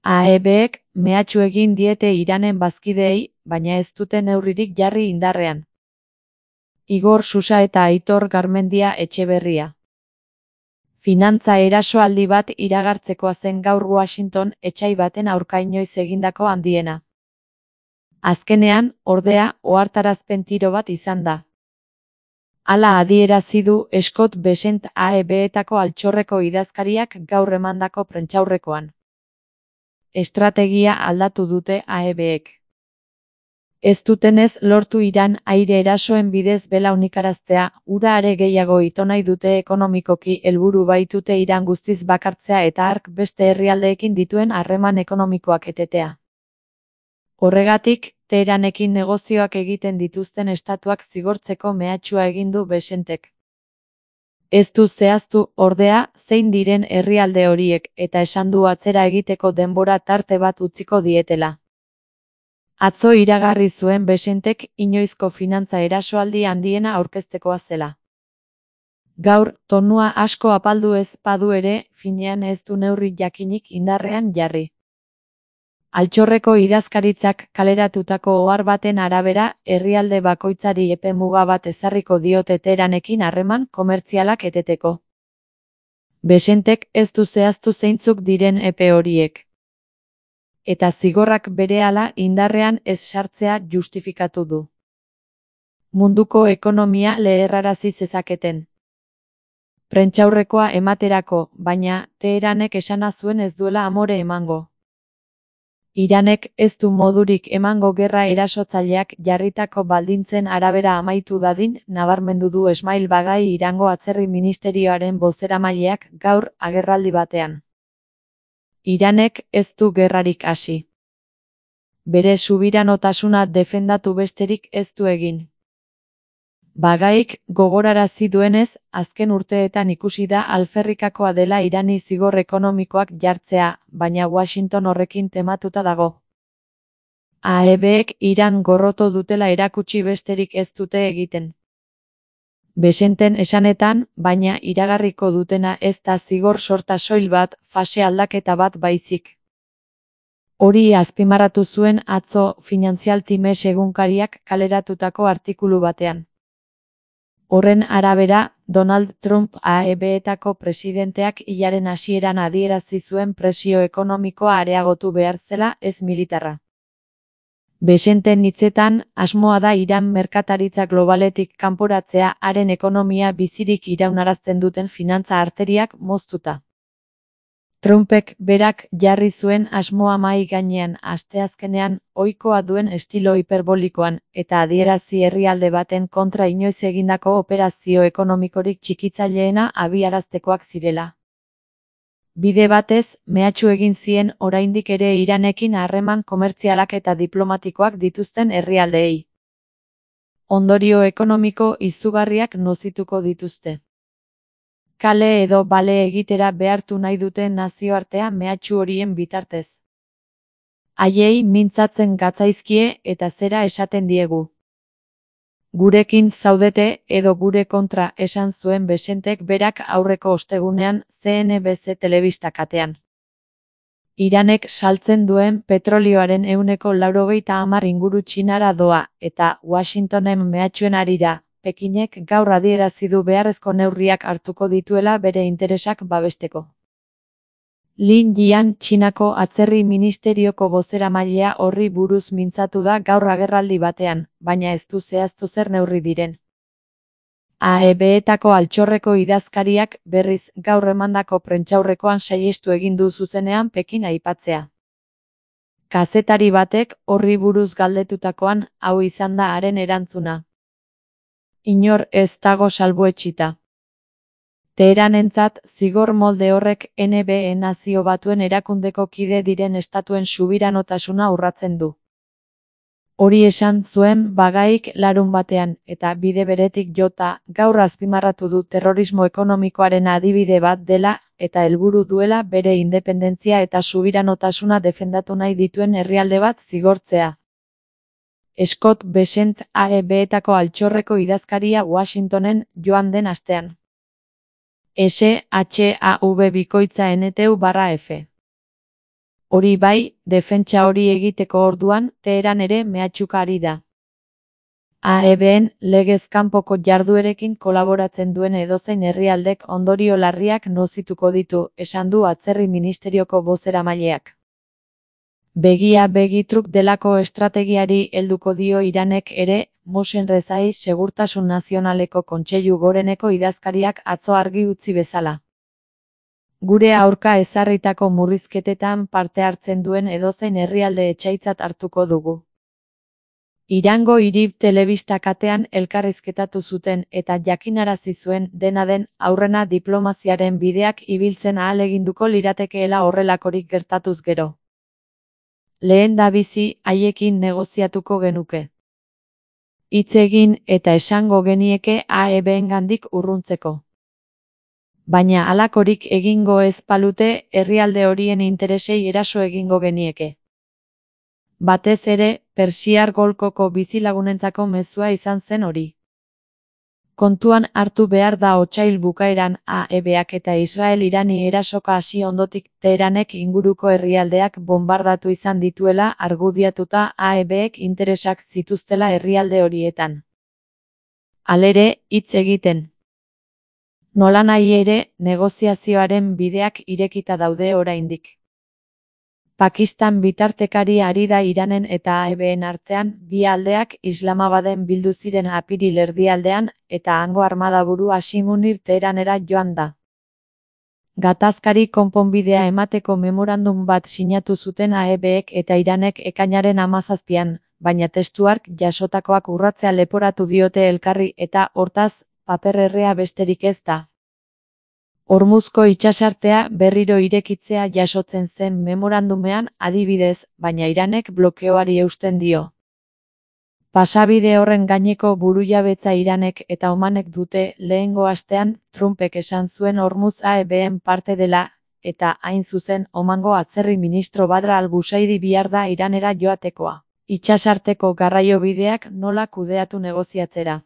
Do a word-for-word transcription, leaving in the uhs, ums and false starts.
A E Bek mehatxu egin diete Iranen bazkideei, baina ez dute neurririk jarri indarrean. Igor Susa eta Aitor Garmendia Etxeberria. Finantza erasoaldi bat iragartzekoa zen gaur Washington etsai baten aurka inoiz egindako handiena. Azkenean, ordea, ohartarazpen tiro bat izan da. Hala adierazi du Scott Bessent A E Betako altxorreko idazkariak gaur emandako prentsaurrekoan. Estrategia aldatu dute A E Bek. Ez dutenez lortu Iran aire erasoen bidez belaunikaraztea, ura are gehiago ito nahi dute ekonomikoki helburu baitute Iran guztiz bakartzea eta hark beste herrialdeekin dituen harreman ekonomikoak etetea. Horregatik, Teheranekin negozioak egiten dituzten estatuak zigortzeko mehatxua egin du Bessentek. Ez du zehaztu, ordea, zein diren herrialde horiek, eta esan du atzera egiteko denbora tarte bat utziko dietela. Atzo iragarri zuen Bessentek inoizko finantza erasoaldi handiena aurkeztekoa zela. Gaur, tonua asko apaldu ez badu ere, finean ez du neurri jakinik indarrean jarri. Altxorreko idazkaritzak kaleratutako ohar baten arabera, herrialde bakoitzari epe muga bat ezarriko diote Teheranekin harreman komertzialak eteteko. Bessentek ez du zehaztu zeintzuk diren epe horiek. Eta zigorrak berehala indarrean ez sartzea justifikatu du. Munduko ekonomia leherrarazi zezaketen. Prentsaurrekoa ematerako, baina, Teheranek esana zuen ez duela amore emango. Iranek ez du modurik emango gerra erasotzaileak jarritako baldintzen arabera amaitu dadin, nabarmendu du Esmail Bagai Irango Atzerri Ministerioaren bozeramaileak gaur agerraldi batean. Iranek ez du gerrarik hasi. Bere subiranotasuna defendatu besterik ez du egin. Bagaik gogorarazi duenez, azken urteetan ikusi da alferrikakoa dela Irani zigor ekonomikoak jartzea, baina Washington horrekin tematuta dago. A E Bek Iran gorroto dutela erakutsi besterik ez dute egiten. Bessenten esanetan, baina iragarriko dutena ez da zigor sorta soil bat, fase aldaketa bat baizik. Hori azpimarratu zuen atzo Financial Times egunkariak kaleratutako artikulu batean. Horren arabera, Donald Trump A E Betako presidenteak hilaren hasieran adierazi zuen presio ekonomikoa areagotu behar zela ez militarra. Bessenten hitzetan, asmoa da Iran merkataritza globaletik kanporatzea haren ekonomia bizirik iraunarazten duten finantza arteriak moztuta. Trumpek berak jarri zuen asmoa mahai gainean asteazkenean ohikoa duen estilo hiperbolikoan eta adierazi herrialde baten kontra inoiz egindako operazio ekonomikorik txikitzaileena abiaraztekoak zirela. Bide batez, mehatxu egin zien oraindik ere Iranekin harreman komertzialak eta diplomatikoak dituzten herrialdeei. Ondorio ekonomiko izugarriak nozituko dituzte. Kale edo bale egitera behartu nahi duten nazioartea mehatxu horien bitartez. Haiei mintzatzen gatzaizkie eta zera esaten diegu. Gurekin zaudete edo gure kontra esan zuen Bessentek berak aurreko ostegunean C N B C telebista katean. Iranek saltzen duen petrolioaren ehuneko laurogeita hamar inguru Txinara doa, eta Washingtonen mehatxuen harira, Pekinek gaur adierazi du beharrezko neurriak hartuko dituela bere interesak babesteko. Lin Jian Txinako Atzerri Ministerioko bozeramailea horri buruz mintzatu da gaur agerraldi batean, baina ez du zehaztu zer neurri diren. A E Betako altxorreko idazkariak berriz gaur emandako prentsaurrekoan saihestu egin du zuzenean Pekin aipatzea. Kazetari batek horri buruz galdetutakoan hau izan da haren erantzuna. Inor ez dago salbuetsita. Teheranentzat zigor molde horrek N B E Nazio Batuen erakundeko kide diren estatuen subiranotasuna urratzen du. Hori esan zuen Bagaik larun batean, eta bide beretik jota, gaur azpimarratu du terrorismo ekonomikoaren adibide bat dela, eta helburu duela bere independentzia eta subiranotasuna defendatu nahi dituen herrialde bat zigortzea. Scott Bessent A E Betako altxorreko idazkaria Washingtonen joan den astean. S H A V bikoitza N T U barra F. Hori bai, defentsa hori egiteko orduan, Teheran ere mehatxuka ari da. A E B-en legez kanpoko jarduerekin kolaboratzen duen edozein herrialdek ondorio larriak nozituko ditu, esan du atzerri ministerioko bozeramaileak. Begia begitruk delako estrategiari helduko dio Iranek ere, Mohsen Rezai Segurtasun Nazionaleko Kontseilu Goreneko idazkariak atzo argi utzi bezala. Gure aurka ezarritako murrizketetan parte hartzen duen edozein herrialde etsaitzat hartuko dugu. Irango Irib telebista katean elkarrizketatu zuten eta jakinarazi zuen dena den aurrena diplomaziaren bideak ibiltzen ahaleginduko liratekeela horrelakorik gertatuz gero. Lehen da bizi, haiekin negoziatuko genuke. Hitz egin eta esango genieke A E B-engandik urruntzeko. Baina halakorik egingo ez balute, herrialde horien interesei eraso egingo genieke. Batez ere, Persiar Golkoko bizilagunentzako mezua izan zen hori. Kontuan hartu behar da otsail bukaeran A E B-ak eta Israel Irani erasoka hasi ondotik Teheranek inguruko herrialdeak bonbardatu izan dituela argudiatuta A E B-ek interesak zituztela herrialde horietan. Halere, hitz egiten. Nolanahi ere, negoziazioaren bideak irekita daude oraindik. Pakistan bitartekari ari da Iranen eta A E B-en artean, bi aldeak Islamabaden bildu ziren apiril erdialdean, eta hango armadaburu Hashim Munir Teheranera joan da. Gatazkari konponbidea emateko memorandum bat sinatu zuten A E B-ek eta Iranek ekainaren hamazazpian, baina testuark jasotakoak urratzea leporatu diote elkarri eta, hortaz, paper errea besterik ez da. Hormuzko itsasartea berriro irekitzea jasotzen zen memorandumean adibidez, baina Iranek blokeoari eusten dio. Pasabide horren gaineko burujabetza Iranek eta Omanek dute lehengo astean, Trumpek esan zuen Hormuz A E B-en parte dela, eta hain zuzen Omango atzerri ministro Badr al-Busaidi bihar da Iranera joatekoa. Itsasarteko garraiobideak nola kudeatu negoziatzera.